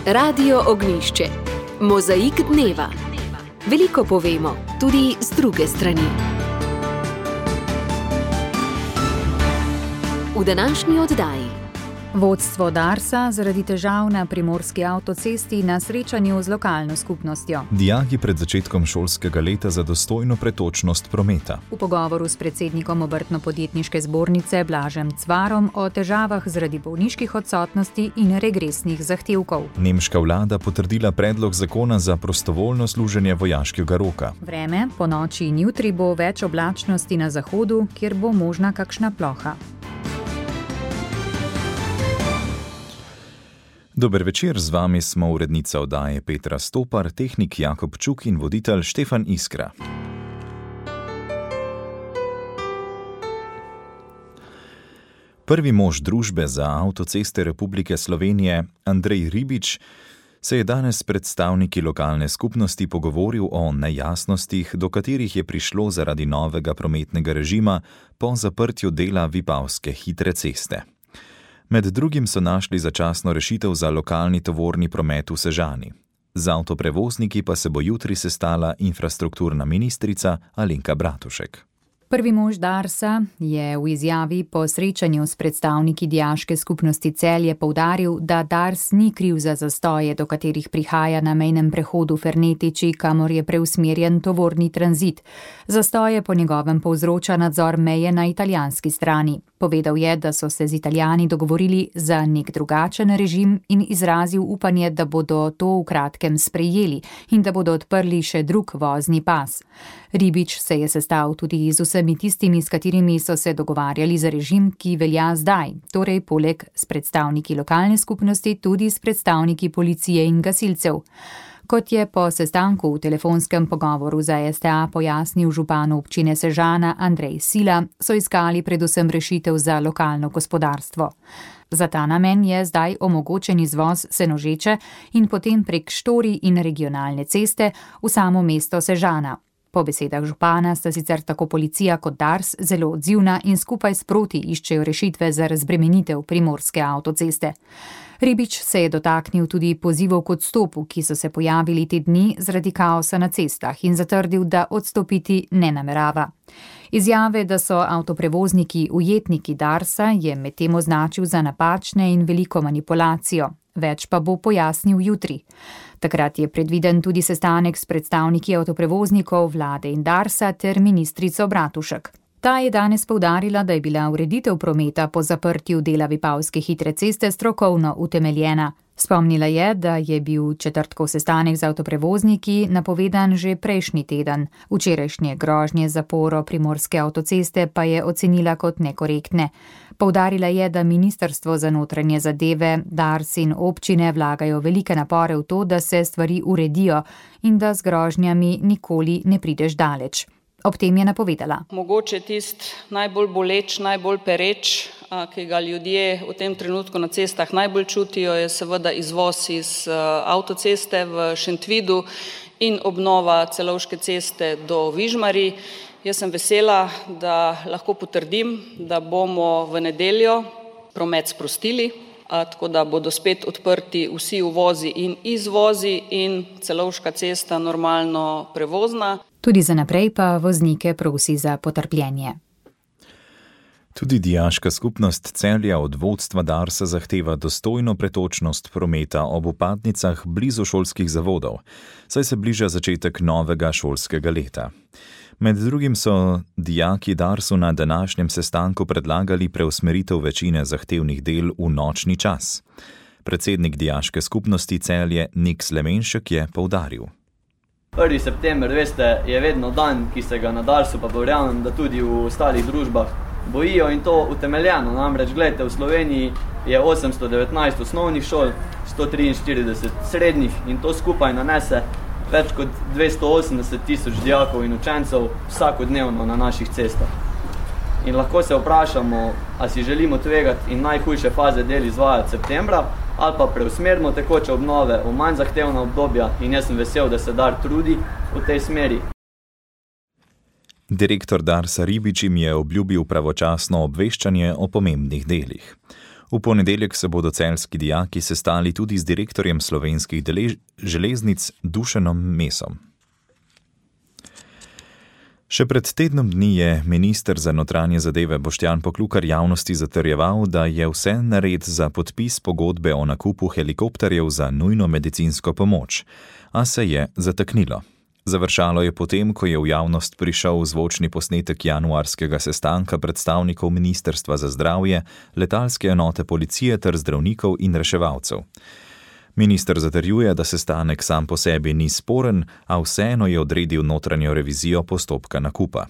Radio Ognjišče. Mozaik dneva. Veliko povemo, tudi z druge strani. V današnji oddaji. Vodstvo Darsa zaradi težav na primorski avtocesti na srečanju z lokalno skupnostjo. Dijaki pred začetkom šolskega leta za dostojno pretočnost prometa. V pogovoru s predsednikom Obrtno-podjetniške zbornice Blažem Cvarom o težavah zaradi bolniških odsotnosti in regresnih zahtevkov. Nemška vlada potrdila predlog zakona za prostovoljno služenje vojaškega roka. Vreme, ponoči in jutri bo več oblačnosti na zahodu, kjer bo možna kakšna ploha. Dober večer, z vami smo urednica oddaje Petra Stopar, tehnik Jakob Čuk in voditelj Štefan Iskra. Prvi mož družbe za avtoceste Republike Slovenije, Andrej Ribič, se je danes s predstavniki lokalne skupnosti pogovoril o nejasnostih, do katerih je prišlo zaradi novega prometnega režima po zaprtju dela Vipavske hitre ceste. Med drugim so našli začasno rešitev za lokalni tovorni promet v Sežani. Z avtoprevozniki pa se bo jutri sestala infrastrukturna ministrica Alenka Bratušek. Prvi mož Darsa je v izjavi po srečanju s predstavniki dijaške skupnosti Celje poudaril, da Dars ni kriv za zastoje, do katerih prihaja na mejnem prehodu Fernetiči, kamor je preusmerjen tovorni tranzit. Zastoje po njegovem povzroča nadzor meje na italijanski strani. Povedal je, da so se z Italijani dogovorili za nek drugačen režim in izrazil upanje, da bodo to v kratkem sprejeli in da bodo odprli še drug vozni pas. Ribič se je sestal tudi z vsemi tistimi, s katerimi so se dogovarjali za režim, ki velja zdaj, torej poleg s predstavniki lokalne skupnosti tudi s predstavniki policije in gasilcev. Kot je po sestanku v telefonskem pogovoru za STA pojasnil župan občine Sežana Andrej Sila, so iskali predvsem rešitev za lokalno gospodarstvo. Za ta namen je zdaj omogočen izvoz Senožeče in potem prek Štorij in regionalne ceste v samo mesto Sežana. Po besedah župana sta sicer tako policija kot Dars zelo odzivna in skupaj sproti iščejo rešitve za razbremenitev primorske avtoceste. Ribič se je dotaknil tudi pozivov k odstopu, ki so se pojavili te dni zaradi kaosa na cestah in zatrdil, da odstopiti ne namerava. Izjave, da so avtoprevozniki ujetniki Darsa, je medtem označil za napačne in veliko manipulacijo. Več pa bo pojasnil jutri. Takrat je predviden tudi sestanek s predstavniki avtoprevoznikov, vlade in Darsa ter ministrico Bratušek. Ta je danes poudarila, da je bila ureditev prometa po zaprtju dela Vipavske hitre ceste strokovno utemeljena. Spomnila je, da je bil četrtkov sestanek z avtoprevozniki napovedan že prejšnji teden. Včerajšnje grožnje zaporo primorske avtoceste pa je ocenila kot nekorektne. Poudarila je, da Ministrstvo za notranje zadeve, Dars in občine vlagajo velike napore v to, da se stvari uredijo in da z grožnjami nikoli ne prideš daleč. Ob tem je napovedala. Mogoče tisti najbolj boleč, najbolj pereč, ki ga ljudje v tem trenutku na cestah najbolj čutijo, je seveda izvoz iz avtoceste v Šentvidu in obnova Celovške ceste do Vižmarij. Jaz sem vesela, da lahko potrdim, da bomo v nedeljo promet sprostili, tako da bodo spet odprti vsi uvozi in izvozi in Celovška cesta normalno prevozna. Tudi za naprej pa voznike prosi za potrpljenje. Tudi dijaška skupnost Celja od vodstva Darsa zahteva dostojno pretočnost prometa ob vpadnicah blizu šolskih zavodov, saj se bliža začetek novega šolskega leta. Med drugim so dijaki Darsu na današnjem sestanku predlagali preusmeritev večine zahtevnih del v nočni čas. Predsednik dijaške skupnosti Celje Nik Slemenšek je poudaril. 1. september, veste, je vedno dan, ki se ga na Darsu, pa verjamem, da tudi v ostalih družbah bojijo in to utemeljeno. Namreč, gledajte, v Sloveniji je 819 osnovnih šol, 143 srednjih in to skupaj nanese več kot 280.000 dijakov in učencev vsakodnevno na naših cestah. In lahko se vprašamo, a si želimo tvegati in najhujše faze del izvajati septembra, ali pa preusmerimo tekoče obnove v manj zahtevna obdobja in jaz sem vesel, da se Dar trudi v tej smeri. Direktor Darsa Ribič jim je obljubil pravočasno obveščanje o pomembnih delih. V ponedeljek se bodo celjski dijaki sestali tudi z direktorjem Slovenskih železnic Dušanom Mesom. Še pred tednom dni je minister za notranje zadeve Boštjan Poklukar javnosti zatrjeval, da je vse nared za podpis pogodbe o nakupu helikopterjev za nujno medicinsko pomoč, a se je zataknilo. Završalo je potem, ko je v javnost prišel zvočni posnetek januarskega sestanka predstavnikov Ministrstva za zdravje, letalske enote policije ter zdravnikov in reševalcev. Minister zatrjuje, da sestanek sam po sebi ni sporen, a vseeno je odredil notranjo revizijo postopka nakupa.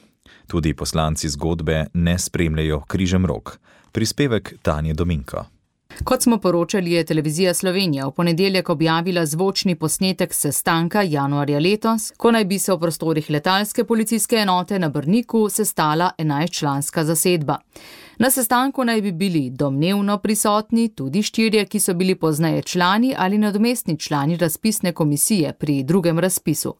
Tudi poslanci zgodbe ne spremljajo križem rok. Prispevek Tanje Dominko. Kot smo poročali, je Televizija Slovenija v ponedeljek objavila zvočni posnetek sestanka januarja letos, ko naj bi se v prostorih letalske policijske enote na Brniku sestala 11-članska zasedba. Na sestanku naj bi bili domnevno prisotni tudi 4, ki so bili pozneje člani ali nadomestni člani razpisne komisije pri drugem razpisu.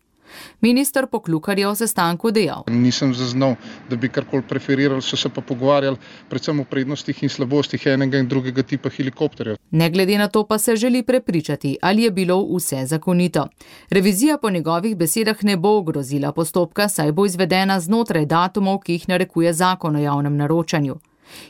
Minister Poklukar je o sestanku dejal. Nisem zaznal, da bi karkoli preferirali, so se pa pogovarjali predvsem o prednostih in slabostih enega in drugega tipa helikopterjev. Ne glede na to pa se želi prepričati, ali je bilo vse zakonito. Revizija po njegovih besedah ne bo ogrozila postopka, saj bo izvedena znotraj datumov, ki jih narekuje zakon o javnem naročanju.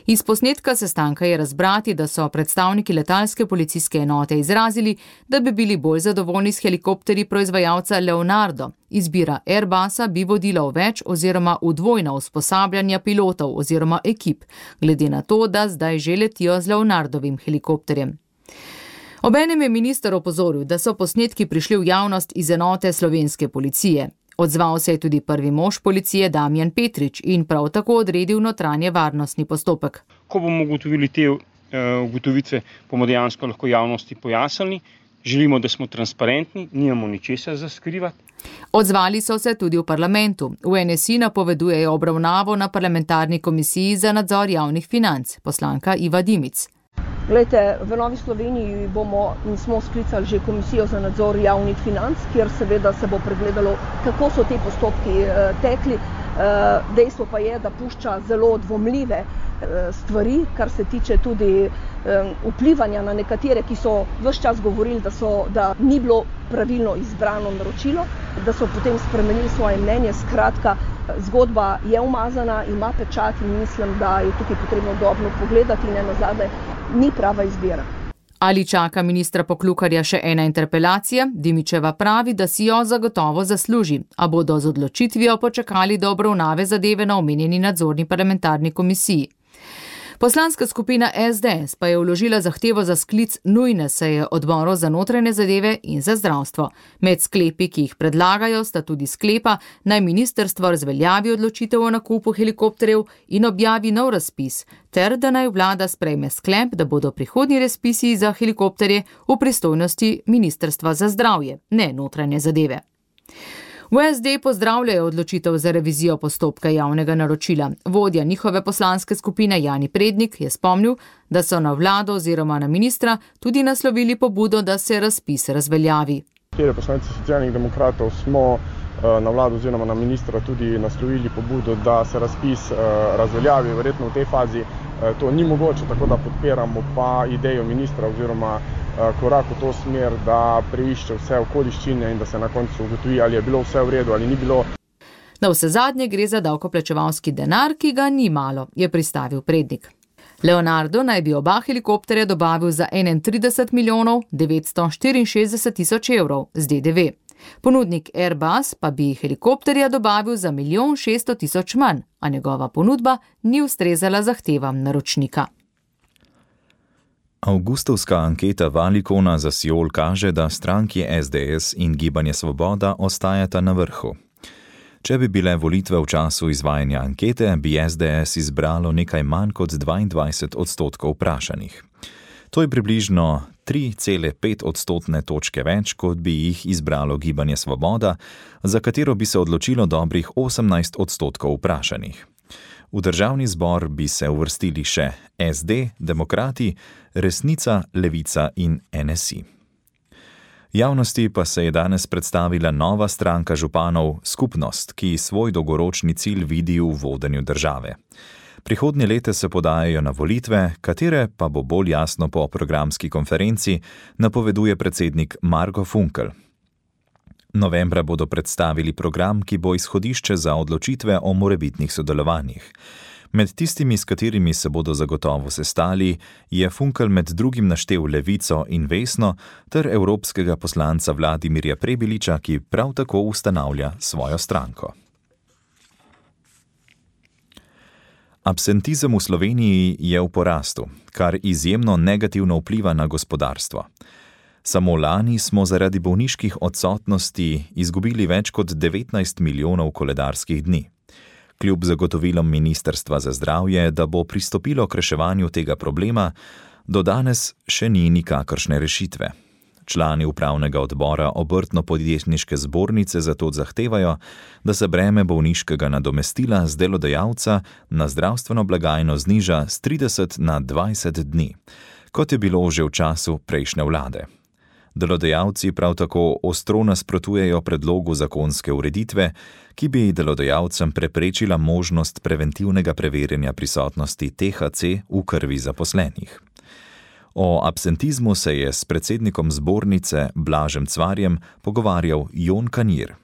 Iz posnetka sestanka je razbrati, da so predstavniki letalske policijske enote izrazili, da bi bili bolj zadovoljni s helikopterji proizvajalca Leonardo. Izbira Airbusa bi vodila v več oziroma v dvojna usposabljanja pilotov oziroma ekip, glede na to, da zdaj že letijo z Leonardovim helikopterjem. Obenem je minister opozoril, da so posnetki prišli v javnost iz enote slovenske policije. Odzval se je tudi prvi mož policije Damjan Petrič in prav tako odredil notranje varnostni postopek. Ko bomo ugotovili te ugotovice, bomo dejansko lahko javnosti pojasnili. Želimo, da smo transparentni, nimamo ničesar za skrivati. Odzvali so se tudi v parlamentu. V NSI napovedujejo obravnavo na parlamentarni komisiji za nadzor javnih financ, poslanka Iva Dimic. Glejte, v Novi Sloveniji smo sklicali že komisijo za nadzor javnih financ, kjer seveda se bo pregledalo, kako so te postopki tekli. Dejstvo pa je, da pušča zelo dvomljive stvari, kar se tiče tudi vplivanja na nekatere, ki so ves čas govorili, da ni bilo pravilno izbrano naročilo, da so potem spremenili svoje mnenje. Skratka, zgodba je umazana, ima pečat in mislim, da je tukaj potrebno dobro pogledati in nazadnje ni prava izbira. Ali čaka ministra Poklukarja še ena interpelacija? Dimičeva pravi, da si jo zagotovo zasluži, a bodo z odločitvijo počakali do obravnave zadeve na omenjeni nadzorni parlamentarni komisiji. Poslanska skupina SDS pa je vložila zahtevo za sklic nujne seje odborov za notranje zadeve in za zdravstvo. Med sklepi, ki jih predlagajo, sta tudi sklepa, naj ministrstvo razveljavi odločitev o nakupu helikopterjev in objavi nov razpis, ter da naj vlada sprejme sklep, da bodo prihodnji razpisi za helikopterje v pristojnosti Ministrstva za zdravje, ne notranje zadeve. V SD pozdravljajo odločitev za revizijo postopka javnega naročila. Vodja njihove poslanske skupine Jani Prednik je spomnil, da so na vlado oziroma na ministra tudi naslovili pobudo, da se razpis razveljavi. Poslanci Socialnih demokratov smo na vlado oziroma na ministra tudi naslovili pobudo, da se razpis razveljavi. Verjetno v tej fazi to ni mogoče, tako da podpiramo pa idejo ministra oziroma korak v to smer, da preišče vse okoliščine in da se na koncu ugotovi, ali je bilo vse v redu ali ni bilo. Na vse zadnje gre za davkoplačevalski denar, ki ga ni malo, je pristavil Prednik. Leonardo naj bi oba helikopterja dobavil za 31 milijonov 964 tisoč evrov z DDV. Ponudnik Airbus pa bi helikopterja dobavil za 1 600 000 manj, a njegova ponudba ni ustrezala zahtevam naročnika. Avgustovska anketa Valicona za Siol kaže, da stranki SDS in Gibanje Svoboda ostajata na vrhu. Če bi bile volitve v času izvajanja ankete, bi SDS izbralo nekaj manj kot 22% vprašanih. To je približno 3,5 točke več, kot bi jih izbralo Gibanje Svoboda, za katero bi se odločilo dobrih 18% vprašanih. V državni zbor bi se uvrstili še SD, Demokrati, Resnica, Levica in NSI. Javnosti pa se je danes predstavila nova stranka županov Skupnost, ki svoj dolgoročni cilj vidi v vodenju države. Prihodnje leto se podajajo na volitve, katere pa bo bolj jasno po programski konferenci, napoveduje predsednik Marko Funkel. Novembra bodo predstavili program, ki bo izhodišče za odločitve o morebitnih sodelovanjih. Med tistimi, s katerimi se bodo zagotovo sestali, je Funkel med drugim naštel Levico in Vesno ter evropskega poslanca Vladimirja Prebiliča, ki prav tako ustanavlja svojo stranko. Absentizem v Sloveniji je v porastu, kar izjemno negativno vpliva na gospodarstvo. Samo lani smo zaradi bolniških odsotnosti izgubili več kot 19 milijonov koledarskih dni. Kljub zagotovilom Ministrstva za zdravje, da bo pristopilo k reševanju tega problema, do danes še ni nikakršne rešitve. Člani upravnega odbora Obrtno-podjetniške zbornice zato zahtevajo, da se breme bolniškega nadomestila z delodajalca na zdravstveno blagajno zniža z 30 na 20 dni, kot je bilo že v času prejšnje vlade. Delodajalci prav tako ostro nasprotujejo predlogu zakonske ureditve, ki bi delodajalcem preprečila možnost preventivnega preverjanja prisotnosti THC v krvi zaposlenih. O absentizmu se je s predsednikom zbornice Blažem Cvarjem pogovarjal Jon Kanjir.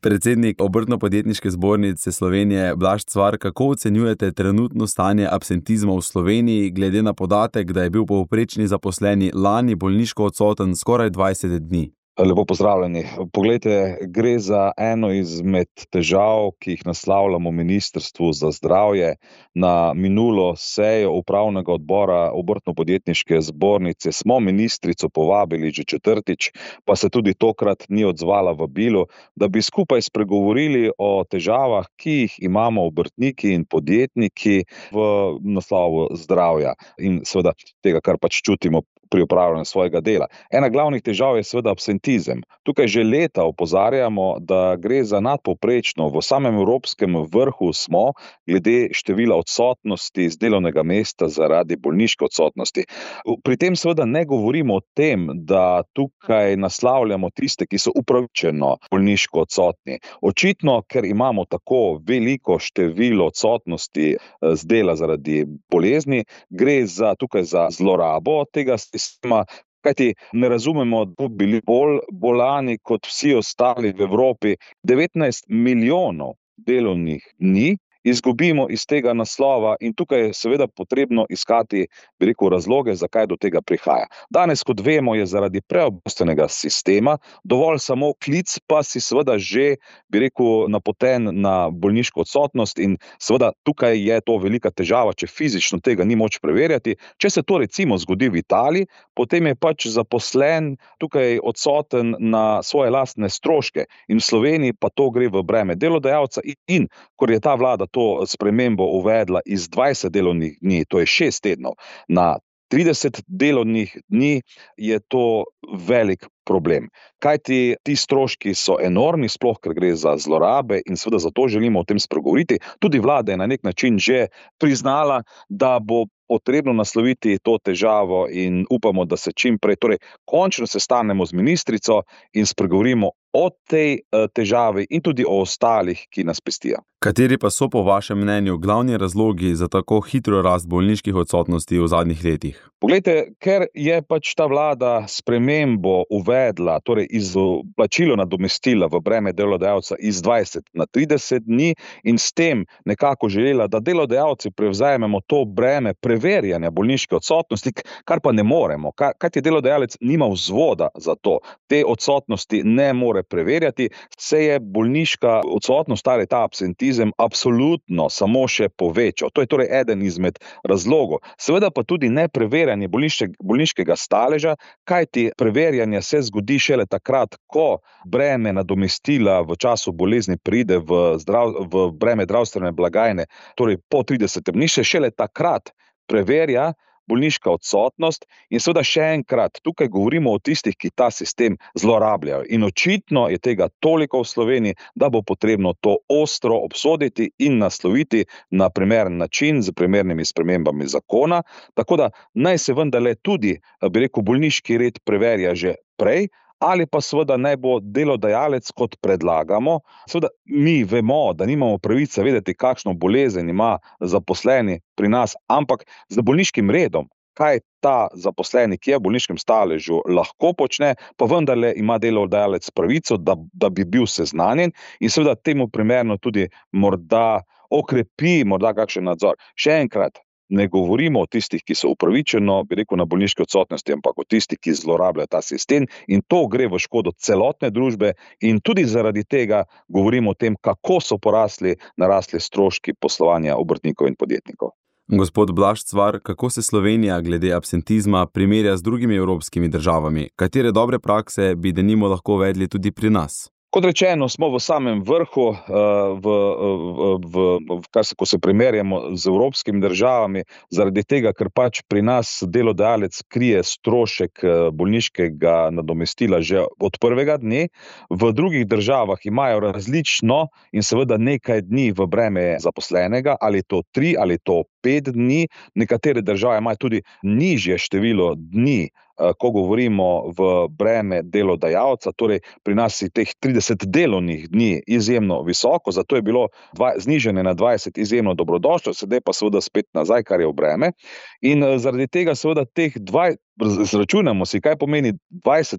Predsednik Obrtno-podjetniške zbornice Slovenije Blaž Cvar, kako ocenjujete trenutno stanje absentizma v Sloveniji, glede na podatek, da je bil povprečni zaposleni lani bolniško odsoten skoraj 20 dni? Lepo pozdravljeni. Poglejte, gre za eno izmed težav, ki jih naslavljamo Ministrstvu za zdravje. Na minulo sejo upravnega odbora Obrtno-podjetniške zbornice smo ministrico povabili že četrtič, pa se tudi tokrat ni odzvala vabilu, da bi skupaj spregovorili o težavah, ki jih imamo obrtniki in podjetniki v naslovu zdravja in seveda tega, kar pač čutimo pri upravljanju svojega dela. Ena glavnih težav je seveda absentizem. Tukaj že leta opozarjamo, da gre za nadpovprečno, v samem evropskem vrhu smo glede števila odsotnosti z delovnega mesta zaradi bolniške odsotnosti. Pri tem seveda ne govorimo o tem, da tukaj naslavljamo tiste, ki so upravičeno bolniško odsotni. Očitno, ker imamo tako veliko število odsotnosti z dela zaradi bolezni, gre tukaj za zlorabo tega sistema, kajti ne razumemo, da bi bili bolj bolani kot vsi ostali v Evropi. 19 milijonov delovnih dni izgubimo iz tega naslova in tukaj je seveda potrebno iskati, bi rekel, razloge, zakaj do tega prihaja. Danes, kot vemo, je zaradi preobremenjenega sistema dovolj samo klic, pa si seveda že, bi rekel, napoten na bolniško odsotnost in seveda tukaj je to velika težava, če fizično tega ni moč preverjati. Če se to recimo zgodi v Italiji, potem je pač zaposlen tukaj odsoten na svoje lastne stroške in v Sloveniji pa to gre v breme delodajalca in ko je ta vlada to spremembo uvedla iz 20 delovnih dni, to je 6 tednov, na 30 delovnih dni, je to velik problem. Kajti ti stroški so enormni, sploh ker gre za zlorabe in seveda zato želimo o tem spregovoriti. Tudi vlada je na nek način že priznala, da bo potrebno nasloviti to težavo in upamo, da se čim prej, torej končno sestanemo z ministrico in spregovorimo o tej težavi in tudi o ostalih, ki nas pestijo. Kateri pa so po vašem mnenju glavni razlogi za tako hitro rast bolniških odsotnosti v zadnjih letih? Poglejte, ker je pač ta vlada spremembo uvedla, torej izplačilo nadomestila v breme delodajalca iz 20 na 30 dni in s tem nekako želela, da delodajalci prevzamemo to breme preverjanja bolniške odsotnosti, kar pa ne moremo, kajti delodajalec nima vzvoda za to. Te odsotnosti ne more preverjati, se je bolniška odsotnost, ta absentizem absolutno samo še povečal. To je torej eden izmed razlogov. Seveda pa tudi nepreverjanje bolniškega staleža, kajti preverjanje se zgodi šele takrat, ko breme nadomestila v času bolezni pride v breme zdravstvene blagajne, torej po 30 dni se šele takrat preverja bolniška odsotnost in seveda še enkrat, tukaj govorimo o tistih, ki ta sistem zlorabljajo. In očitno je tega toliko v Sloveniji, da bo potrebno to ostro obsoditi in nasloviti na primeren način z primernimi spremembami zakona, tako da naj se vendarle tudi, bi rekel, bolniški red preverja že prej, ali pa seveda naj bo delodajalec, kot predlagamo. Seveda mi vemo, da nimamo pravice vedeti, kakšno bolezen ima zaposleni pri nas, ampak z bolniškim redom, kaj ta zaposleni, ki je v bolniškem staležu, lahko počne, pa vendarle ima delodajalec pravico, da bi bil seznanjen in seveda temu primerno tudi morda okrepi morda kakšen nadzor. Še enkrat, ne govorimo o tistih, ki so upravičeno, bi rekel, na bolniški odsotnosti, ampak o tistih, ki zlorabljajo ta sistem in to gre v škodo celotne družbe in tudi zaradi tega govorimo o tem, kako so narasli stroški poslovanja obrtnikov in podjetnikov. Gospod Blaž Cvar, kako se Slovenija glede absentizma primerja z drugimi evropskimi državami? Katere dobre prakse bi denimo lahko uvedli tudi pri nas? Kot rečeno, smo v samem vrhu, ko se primerjamo z evropskimi državami, zaradi tega, ker pač pri nas delodajalec krije strošek bolniškega nadomestila že od prvega dne. V drugih državah imajo različno in seveda nekaj dni v breme zaposlenega, ali to 3 ali to 5 dni. Nekatere države imajo tudi nižje število dni, ko govorimo v breme delodajalca, torej pri nas je teh 30 delovnih dni izjemno visoko, zato je bilo znižanje na 20 izjemno dobrodošlo, sedaj pa seveda spet nazaj, kar je v breme. In zaradi tega seveda teh izračunamo si, kaj pomeni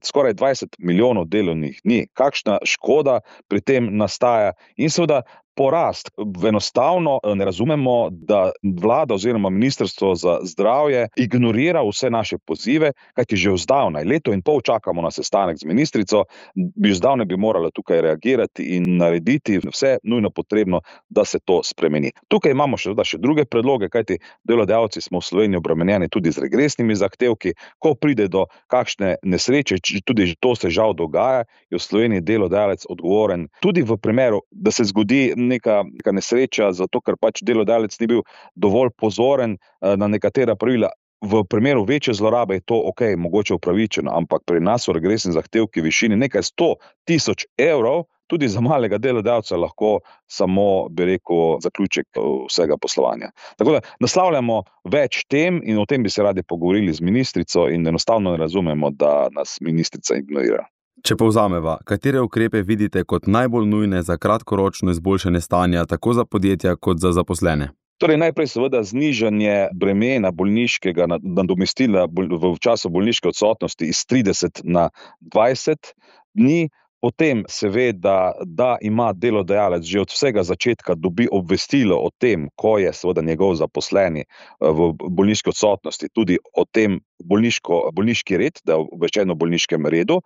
skoraj 20 milijonov delovnih dni, kakšna škoda pri tem nastaja in seveda porast. Enostavno ne razumemo, da vlada oziroma Ministrstvo za zdravje ignorira vse naše pozive, kajti že vzdavnaj, leto in pol čakamo na sestanek z ministrico, vzdavnaj bi morala tukaj reagirati in narediti vse nujno potrebno, da se to spremeni. Tukaj imamo še druge predloge, kajti delodajalci smo v Sloveniji obremenjeni tudi z regresnimi zahtevki. Ko pride do kakšne nesreče, tudi to se žal dogaja, je v Sloveniji delodajalec odgovoren tudi v primeru, da se zgodi neka nesreča, zato ker pač delodajalec ni bil dovolj pozoren na nekatera pravila. V primeru večje zlorabe je to mogoče upravičeno, ampak pri nas so regresni zahtevki v višini nekaj 100.000 evrov, tudi za malega delodajalca lahko samo, bi rekel, zaključek vsega poslovanja. Tako da naslavljamo več tem in o tem bi se radi pogovorili z ministrico in enostavno ne razumemo, da nas ministrica ignorira. Če povzameva, katere ukrepe vidite kot najbolj nujne za kratkoročno izboljšanje stanja tako za podjetja kot za zaposlene? Torej najprej seveda znižanje bremena bolniškega nadomestila v času bolniške odsotnosti iz 30 na 20 dni. Potem seveda, da ima delodajalec že od vsega začetka dobi obvestilo o tem, ko je seveda njegov zaposleni v bolniški odsotnosti, tudi o tem bolniški red, da je obveščen o bolniškem redu.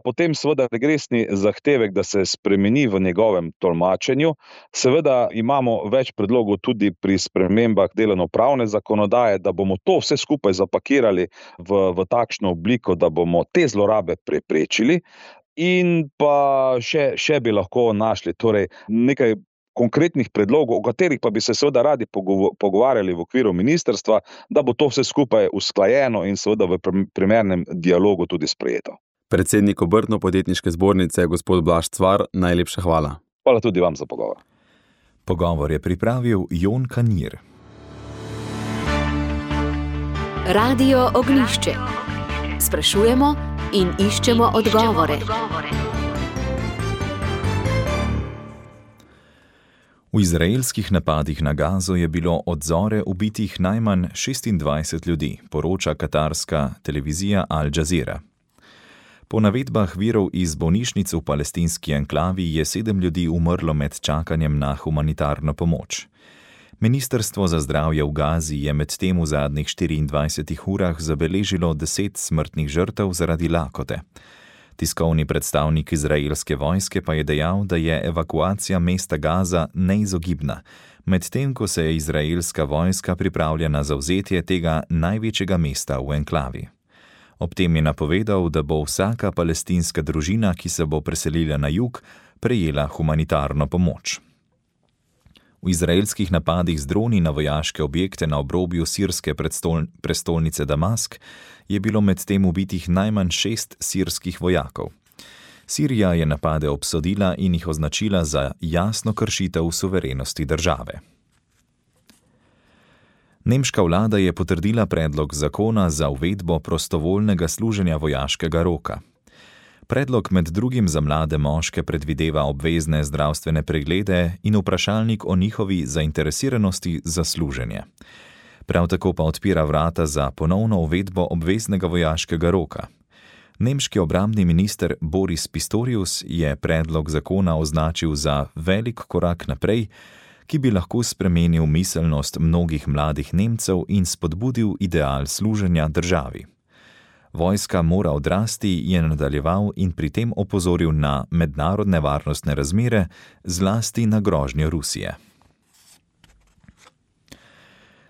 Potem seveda regresni zahtevek, da se spremeni v njegovem tolmačenju. Seveda imamo več predlogov tudi pri spremembah delovnopravne zakonodaje, da bomo to vse skupaj zapakirali v takšno obliko, da bomo te zlorabe preprečili. In pa še bi lahko našli torej nekaj konkretnih predlogov, o katerih pa bi se seveda radi pogovarjali v okviru ministrstva, da bo to vse skupaj usklajeno in seveda v primernem dialogu tudi sprejeto. Predsednik Obrtno-podjetniške zbornice, gospod Blaž Cvar, najlepša hvala. Hvala tudi vam za pogovor. Pogovor je pripravil Jon Kanir. Radio Ognjišče. Sprašujemo in iščemo odgovore. V izraelskih napadih na Gazo je bilo od zore ubitih najmanj 26 ljudi, poroča katarska televizija Al Jazeera. Po navedbah virov iz bolnišnic v palestinski enklavi je 7 ljudi umrlo med čakanjem na humanitarno pomoč. Ministrstvo za zdravje v Gazi je medtem v zadnjih 24 urah zabeležilo 10 smrtnih žrtev zaradi lakote. Tiskovni predstavnik izraelske vojske pa je dejal, da je evakuacija mesta Gaza neizogibna, medtem ko se je izraelska vojska pripravlja na zavzetje tega največjega mesta v enklavi. Ob tem je napovedal, da bo vsaka palestinska družina, ki se bo preselila na jug, prejela humanitarno pomoč. V izraelskih napadih z droni na vojaške objekte na obrobju sirske prestolnice Damask je bilo medtem ubitih najmanj 6 sirskih vojakov. Sirija je napade obsodila in jih označila za jasno kršitev suverenosti države. Nemška vlada je potrdila predlog zakona za uvedbo prostovoljnega služenja vojaškega roka. Predlog med drugim za mlade moške predvideva obvezne zdravstvene preglede in vprašalnik o njihovi zainteresiranosti za služenje. Prav tako pa odpira vrata za ponovno uvedbo obveznega vojaškega roka. Nemški obrambni minister Boris Pistorius je predlog zakona označil za velik korak naprej, ki bi lahko spremenil miselnost mnogih mladih Nemcev in spodbudil ideal služenja državi. Vojska mora odrasti, je nadaljeval in pri tem opozoril na mednarodne varnostne razmere, zlasti na grožnjo Rusije.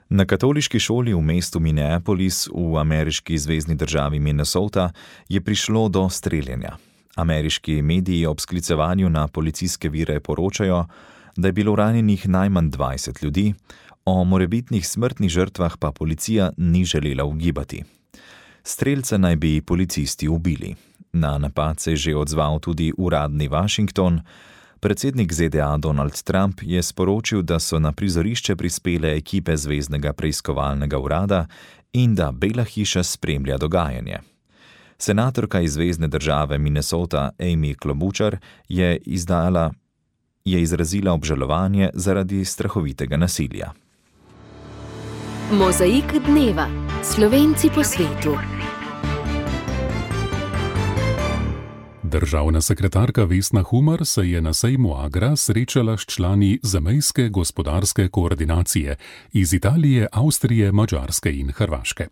Na katoliški šoli v mestu Minneapolis v ameriški zvezni državi Minnesota je prišlo do streljanja. Ameriški mediji ob sklicevanju na policijske vire poročajo, da je bilo ranjenih najmanj 20 ljudi, o morebitnih smrtnih žrtvah pa policija ni želela ugibati. Strelca naj bi policisti ubili. Na napad se je že odzval tudi uradni Washington. Predsednik ZDA Donald Trump je sporočil, da so na prizorišče prispele ekipe Zveznega preiskovalnega urada in da Bela hiša spremlja dogajanje. Senatorka iz zvezne države Minnesota Amy Klobuchar je izrazila obžalovanje zaradi strahovitega nasilja. Mozaik dneva. Slovenci po svetu. Državna sekretarka Vesna Humar se je na sejmu Agra srečala s člani zamejske gospodarske koordinacije iz Italije, Avstrije, Madžarske in Hrvaške.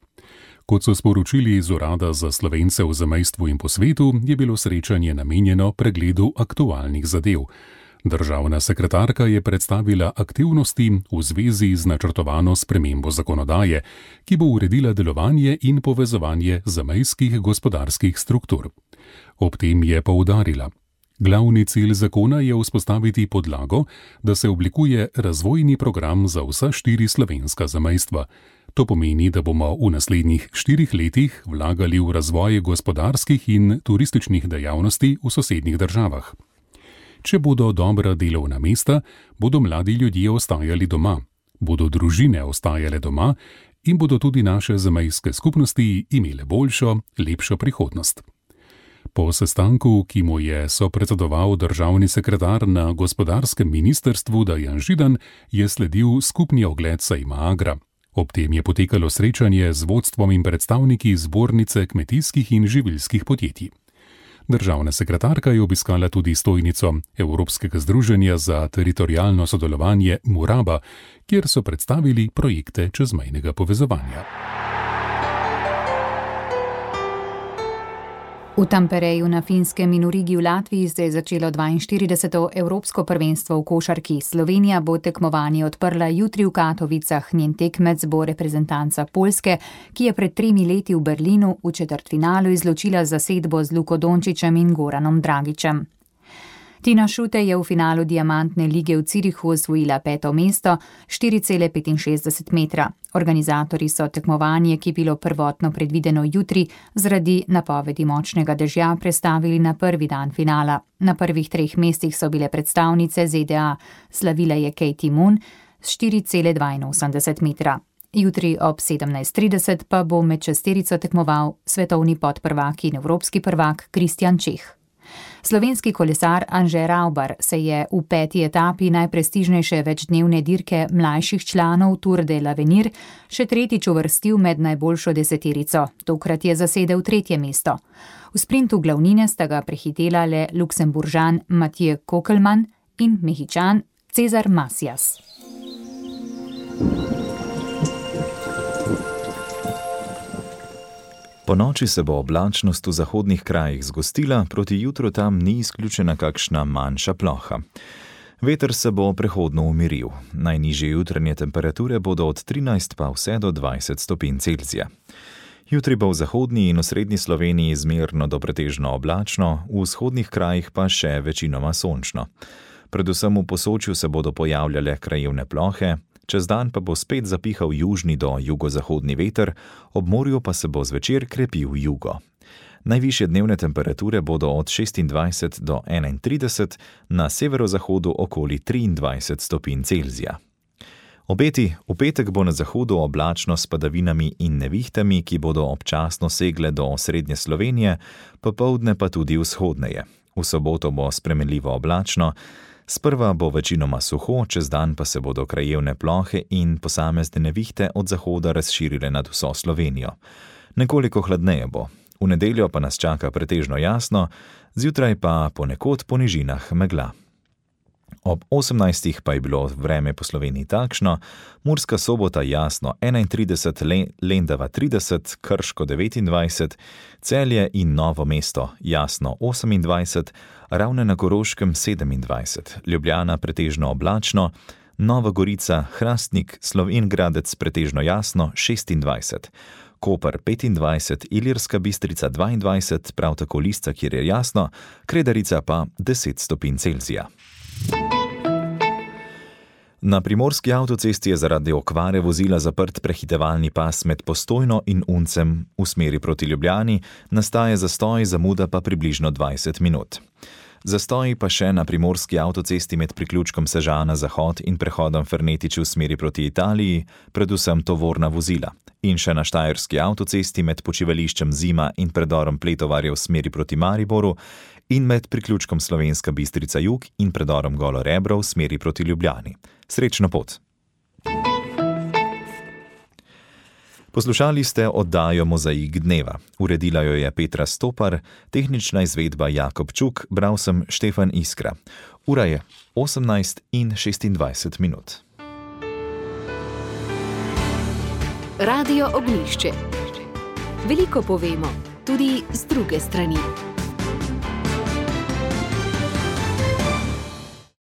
Kot so sporočili iz Urada za Slovence v zamejstvu in po svetu, je bilo srečanje namenjeno pregledu aktualnih zadev. Državna sekretarka je predstavila aktivnosti v zvezi z načrtovano spremembo zakonodaje, ki bo uredila delovanje in povezovanje zamejskih gospodarskih struktur. Ob tem je poudarila: glavni cilj zakona je vzpostaviti podlago, da se oblikuje razvojni program za vsa 4 slovenska zamejstva. To pomeni, da bomo v naslednjih 4 letih vlagali v razvoj gospodarskih in turističnih dejavnosti v sosednjih državah. Če bodo dobra delovna mesta, bodo mladi ljudje ostajali doma, bodo družine ostajale doma in bodo tudi naše zamejske skupnosti imele boljšo, lepšo prihodnost. Po sestanku, ki mu je sopredsedoval državni sekretar na gospodarskem ministrstvu Dejan Židan, je sledil skupni ogled sejma Agra. Ob tem je potekalo srečanje z vodstvom in predstavniki Zbornice kmetijskih in živilskih podjetij. Državna sekretarka je obiskala tudi stojnico Evropskega združenja za teritorialno sodelovanje Muraba, kjer so predstavili projekte čezmejnega povezovanja. V Tampereju na Finskem in v Rigi v Latviji se je začelo 42. Evropsko prvenstvo v košarki. Slovenija bo tekmovanje odprla jutri v Katovicah. Njen tekmec bo reprezentanca Poljske, ki je pred 3 leti v Berlinu v četrtfinalu izločila zasedbo z Luko Dončićem in Goranom Dragićem. Tina Šute je v finalu Diamantne lige v Zürichu osvojila 5. mesto, 4,65 metra. Organizatorji so tekmovanje, ki je bilo prvotno predvideno jutri, zaradi napovedi močnega dežja prestavili na prvi dan finala. Na prvih 3 mestih so bile predstavnice ZDA. Slavila je Katie Moon s 4,82 metra. Jutri ob 17:30 pa bo med šesterico tekmoval svetovni podprvak in evropski prvak Kristjan Čeh. Slovenski kolesar Anže Ravbar se je v 5. etapi najprestižnejše večdnevne dirke mlajših članov Tour de l'Avenir še 3. uvrstil med najboljšo deseterico. Tokrat je zasedel 3. mesto. V sprintu glavnine sta ga prehitela le Luksemburžan Mathieu Kokelman in Mehičan Cezar Masijas. Po noči se bo oblačnost v zahodnih krajih zgostila, proti jutru tam ni izključena kakšna manjša ploha. Veter se bo prehodno umiril. Najnižje jutranje temperature bodo od 13 pa vse do 20 stopinj Celzija. Jutri bo v zahodni in osrednji Sloveniji zmerno do pretežno oblačno, v vzhodnih krajih pa še večinoma sončno. Predvsem v Posočju se bodo pojavljale krajevne plohe, čez dan pa bo spet zapihal južni do jugozahodni veter, ob morju pa se bo zvečer krepil jugo. Najvišje dnevne temperature bodo od 26 do 31, na severozahodu okoli 23 stopinj Celzija. Obeti: v petek bo na zahodu oblačno s padavinami in nevihtami, ki bodo občasno segle do srednje Slovenije, popoldne pa tudi vzhodneje. V soboto bo spremenljivo oblačno, sprva bo večinoma suho, čez dan pa se bodo krajevne plohe in posamezne nevihte od zahoda razširile nad vso Slovenijo. Nekoliko hladneje bo. V nedeljo pa nas čaka pretežno jasno, zjutraj pa ponekod po nižinah megla. Ob 18. pa je bilo vreme po Sloveniji takšno: Murska Sobota jasno 31, Lendava 30, Krško 29, Celje in Novo mesto jasno 28, Ravne na Koroškem 27, Ljubljana pretežno oblačno, Nova Gorica, Hrastnik, Slovenj Gradec pretežno jasno 26, Koper 25, Ilirska Bistrica 22, prav tako Lisca, kjer je jasno, Kredarica pa 10 stopinj Celzija. Na primorski avtocesti je zaradi okvare vozila zaprt prehitevalni pas med Postojno in Uncem v smeri proti Ljubljani, nastaja zastoj, zamuda pa približno 20 minut. Zastoji pa še na primorski avtocesti med priključkom Sežana Zahod in prehodom Fernetič v smeri proti Italiji, predvsem tovorna vozila. In še na štajerski avtocesti med počivališčem Zima in predorom Pletovarje v smeri proti Mariboru in med priključkom Slovenska Bistrica Jug in predorom Golo Rebro v smeri proti Ljubljani. Srečno pot! Poslušali ste oddajo Mozaik dneva. Uredila jo je Petra Stopar, tehnična izvedba Jakob Čuk, bral sem Štefan Iskra. Ura je 18:26 minut. Radio Ognjišče. Veliko povemo, tudi z druge strani.